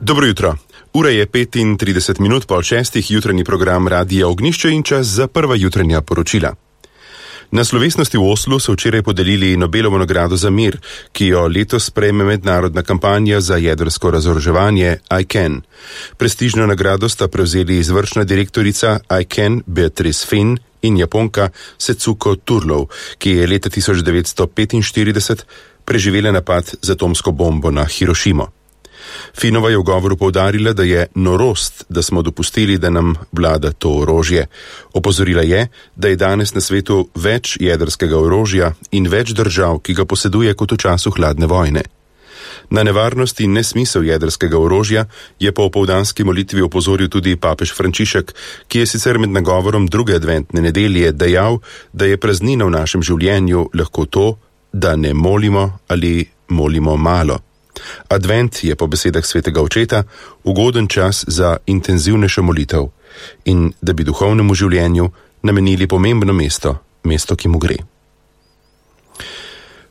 Dobro jutro. Ura je 35 minut po 6. Jutranji program Radia Ognjišče in čas za prva jutranja poročila. Na slovesnosti v Oslu so včeraj podelili Nobelovo nagrado za mir, ki jo letos prejme mednarodna kampanja za jedrsko razoroževanje ICAN. Prestižno nagrado sta prevzeli izvršna direktorica ICAN Beatrice Finn in Japonka Setsuko Turlov, ki je leta 1945 preživela napad z atomsko bombo na Hirošimo. Finova je v govoru poudarila, da je norost, da smo dopustili, da nam vlada to orožje. Opozorila je, da je danes na svetu več jedrskega orožja in več držav, ki ga poseduje kot v času hladne vojne. Na nevarnost in nesmisel jedrskega orožja je po opoldanski molitvi opozoril tudi papež Frančišek, ki je sicer med nagovorom druge adventne nedelje dejal, da je praznina v našem življenju lahko to, da ne molimo ali molimo malo. Advent je po besedah svetega očeta ugoden čas za intenzivnejšo molitev in da bi duhovnemu življenju namenili pomembno mesto, ki mu gre.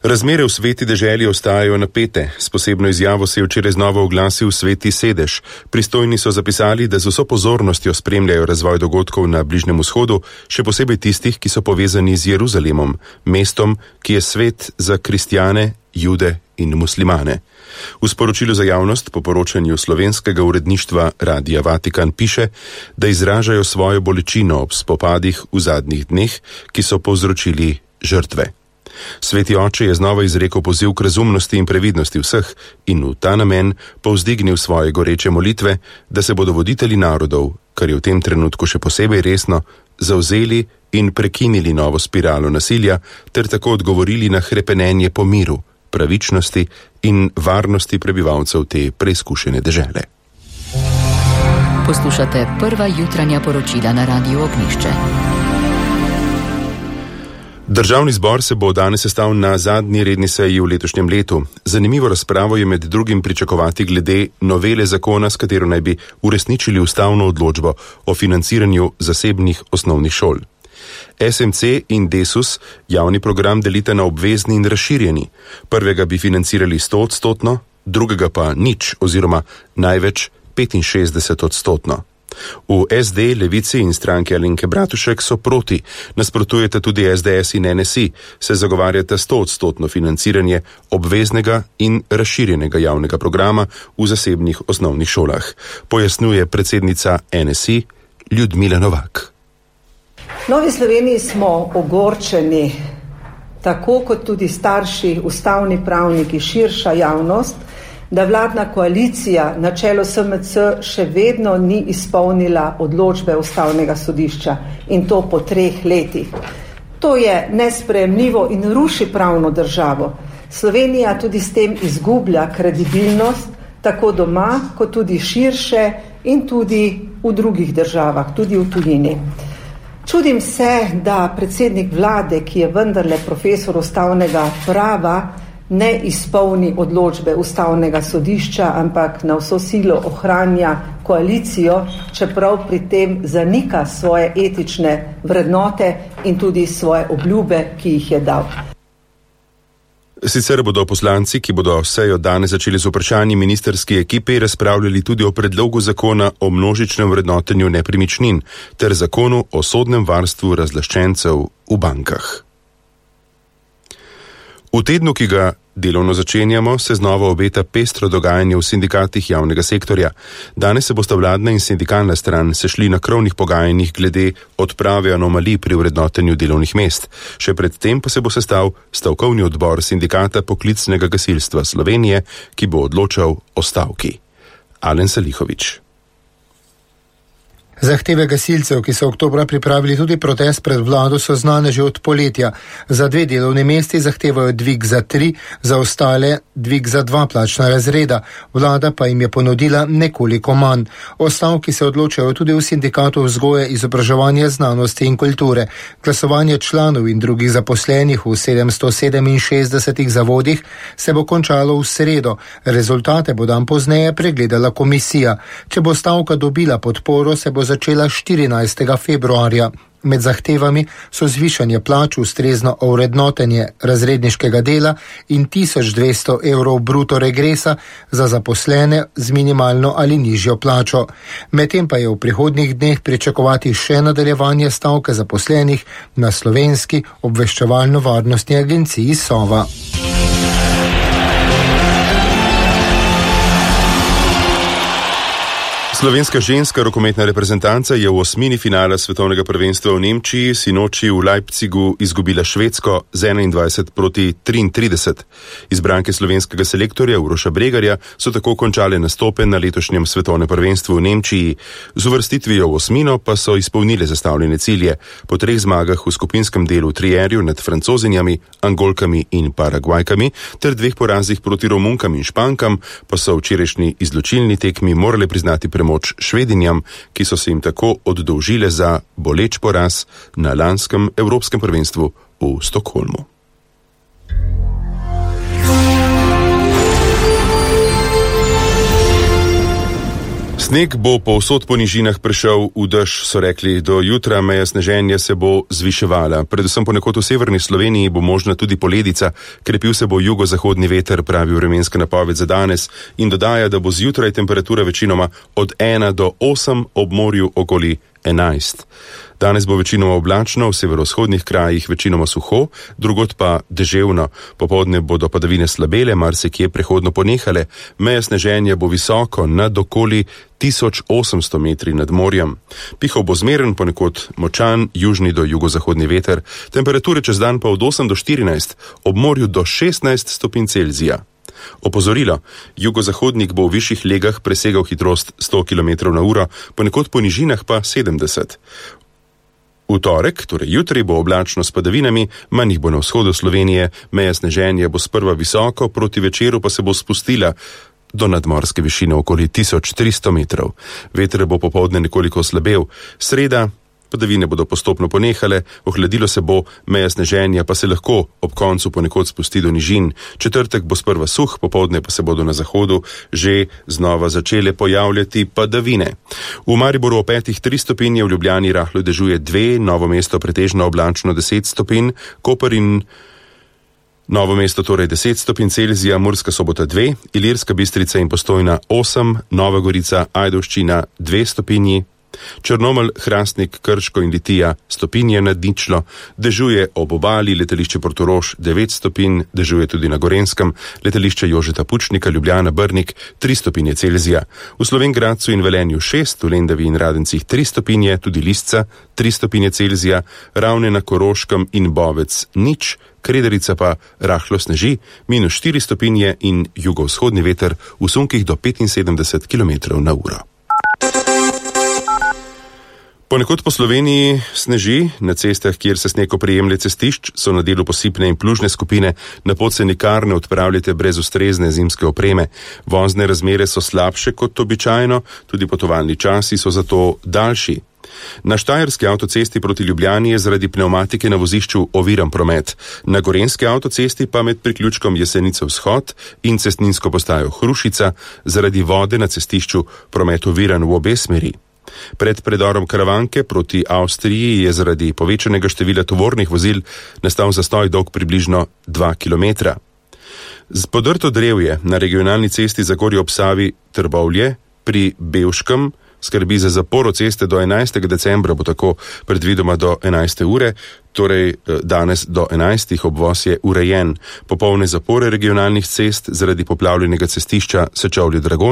Razmere v Sveti deželi ostajajo napete. S posebno izjavo se je včeraj znova oglasil Sveti sedež. Pristojni so zapisali, da z vso pozornostjo spremljajo razvoj dogodkov na Bližnjem vzhodu, še posebej tistih, ki so povezani z Jeruzalemom, mestom, ki je svet za kristjane, jude in muslimane. V sporočilu za javnost po poročanju slovenskega uredništva Radia Vatikan piše, da izražajo svojo bolečino ob spopadih v zadnjih dneh, ki so povzročili žrtve. Sveti oče je znova izrekel poziv k razumnosti in previdnosti vseh in v ta namen povzdignil svoje goreče molitve, da se bodo voditelji narodov, kar je v tem trenutku še posebej resno, zavzeli in prekinili novo spiralo nasilja ter tako odgovorili na hrepenenje po miru, pravičnosti in varnosti prebivalcev te preizkušene dežele. Poslušate prva jutranja poročila na Radiu Ognjišče. Državni zbor se bo danes sestal na zadnji redni seji v letošnjem letu. Zanimivo razpravo je med drugim pričakovati glede novele zakona, s katero naj bi uresničili ustavno odločbo o financiranju zasebnih osnovnih šol. SMC in Desus javni program delita na obvezni in razširjeni. Prvega bi financirali 100%, drugega pa nič oziroma največ 65%. V SD, Levici in stranki Alenke Bratušek so proti, nasprotujeta tudi SDS in NSI, se zagovarjata 100% financiranje obveznega in razširjenega javnega programa v zasebnih osnovnih šolah, pojasnjuje predsednica NSI Ljudmila Novak. V Novi Sloveniji smo ogorčeni, tako kot tudi starši, ustavni pravniki, širša javnost, da vladna koalicija na čelu SMC še vedno ni izpolnila odločbe Ustavnega sodišča in to po 3 letih. To je nesprejemljivo in ruši pravno državo. Slovenija tudi s tem izgublja kredibilnost, tako doma, kot tudi širše in tudi v drugih državah, tudi v tujini. Čudim se, da predsednik vlade, ki je vendarle profesor ustavnega prava, ne izpolni odločbe Ustavnega sodišča, ampak na vso silo ohranja koalicijo, čeprav pri tem zanika svoje etične vrednote in tudi svoje obljube, ki jih je dal. Sicer bodo poslanci, ki bodo sejo danes začeli z vprašanji ministrski ekipi, razpravljali tudi o predlogu zakona o množičnem vrednotenju nepremičnin ter zakonu o sodnem varstvu razlaščencev v bankah. V tednu, ki ga delovno začenjamo, se znova obeta pestro dogajanje v sindikatih javnega sektorja. Danes se bosta vladna in sindikalna stran sešli na krovnih pogajanjih glede odprave anomalij pri vrednotenju delovnih mest. Še predtem pa se bo sestal stavkovni odbor sindikata poklicnega gasilstva Slovenije, ki bo odločal o stavki. Alen Salihović. Zahteve gasilcev, ki so oktobra pripravili tudi protest pred vlado, so znane že od poletja. Za 2 delovne mesti zahtevajo dvig za 3, za ostale dvig za 2 plačna razreda. Vlada pa jim je ponudila nekoliko manj. O stavki se odločajo tudi v sindikatu vzgoje, izobraževanja, znanosti in kulture. Glasovanje članov in drugih zaposlenih v 767 zavodih se bo končalo v sredo. Rezultate bo dan pozneje pregledala komisija. Če bo stavka dobila podporo, se bo začela 14. februarja. Med zahtevami so zvišanje plač, ustrezno ovrednotenje razredniškega dela in 1200 evrov bruto regresa za zaposlene z minimalno ali nižjo plačo. Medtem pa je v prihodnjih dneh pričakovati še nadaljevanje stavke zaposlenih na Slovenski obveščevalno-varnostni agenciji Sova. Slovenska ženska rokometna reprezentanca je v osmini finala svetovnega prvenstva v Nemčiji sinoči v Leipzigu izgubila Švedsko z 21-33. Izbranke slovenskega selektorja Uroša Bregarja so tako končale nastope na letošnjem svetovnem prvenstvu v Nemčiji. Z uvrstitvijo v osmino pa so izpolnile zastavljene cilje. Po 3 zmagah v skupinskem delu trierju nad Francozinjami, Angolkami in Paragvajkami ter 2 porazih proti Romunkam in Špankam pa so včerajšnji izločilni tekmi morale priznati moč Švedinjam, ki so se jim tako oddolžile za boleč poraz na lanskem evropskem prvenstvu v Stockholmu. Sneg bo povsod po nižinah prišel v dež, so rekli. Do jutra meja sneženja se bo zviševala. Predvsem ponekod v severni Sloveniji bo možna tudi poledica. Krepil se bo jugozahodni veter, pravi vremenska napoved za danes, in dodaja, da bo zjutraj temperatura večinoma od 1 do 8, ob morju okoli 11. Danes bo večinoma oblačno, v severovzhodnih krajih večinoma suho, drugod pa deževno. Popoldne bodo padavine slabele, marsikje prehodno ponehale. Meja sneženja bo visoko, nad okoli 1800 metri nad morjem. Pihal bo zmeren, ponekod močan, južni do jugozahodni veter. Temperature čez dan pa od 8 do 14, ob morju do 16 stopinj Celzija. Opozorilo, jugozahodnik bo v višjih legah presegal hitrost 100 km/h, ponekod po nižinah pa 70. V torek, torej jutri, bo oblačno s padavinami, manj jih bo na vzhodu Slovenije, meja sneženja bo sprva visoko, proti večeru pa se bo spustila do nadmorske višine okoli 1300 metrov. Veter bo popoldne nekoliko slabel. Sreda, padavine bodo postopno ponehale, ohladilo se bo, meja sneženja pa se lahko ob koncu ponekod spusti do nižin. Četrtek bo sprva suh, popoldne pa se bodo na zahodu že znova začele pojavljati padavine. V Mariboru o 5 3 stopinje, v Ljubljani rahlo dežuje 2, Novo mesto pretežno oblačno 10 stopinj, Koper in Novo mesto torej 10 stopinj Celzija, Murska Sobota 2, Ilirska Bistrica in Postojna 8, Nova Gorica, Ajdovščina 2 stopinji, Črnomelj, Hrastnik, Krško in Litija stopinje nad ničlo, dežuje ob obali, letališče Portorož 9 stopinj, dežuje tudi na Gorenskem, letališče Jožeta Pučnika, Ljubljana, Brnik 3 stopinje Celzija. V Slovenj Gradcu in Velenju 6, v Lendavi in Radencih 3 stopinje, tudi Lisca 3 stopinje Celzija, Ravne na Koroškem in Bovec nič, Krederica pa rahlo sneži, -4 stopinje in jugovzhodni veter v sunkih do 75 km/h. Ponekod po Sloveniji sneži, na cestah, kjer se sneg oprijemlja cestišč, so na delu posipne in plužne skupine, na pot se nikar ne odpravljate brez ustrezne zimske opreme. Vozne razmere so slabše kot običajno, tudi potovalni časi so zato daljši. Na štajerski avtocesti proti Ljubljani je zaradi pnevmatike na vozišču oviran promet. Na gorenski avtocesti pa med priključkom Jesenice vzhod in cestninsko postajo Hrušica zaradi vode na cestišču promet oviran v obe smeri. Pred predorom Karavanke proti Avstriji je zaradi povečanega števila tovornih vozil nastal zastoj dolg približno 2 km. Podrto drevje na regionalni cesti Zagorje ob Savi Trbovlje pri Bevškem skrbi za zaporo ceste do 11. decembra, bo tako predvidoma do 11. ure, torej danes do 11. obvoz je urejen. Popolne zapore regionalnih cest zaradi poplavljenega cestišča Sečovlje-Dragonja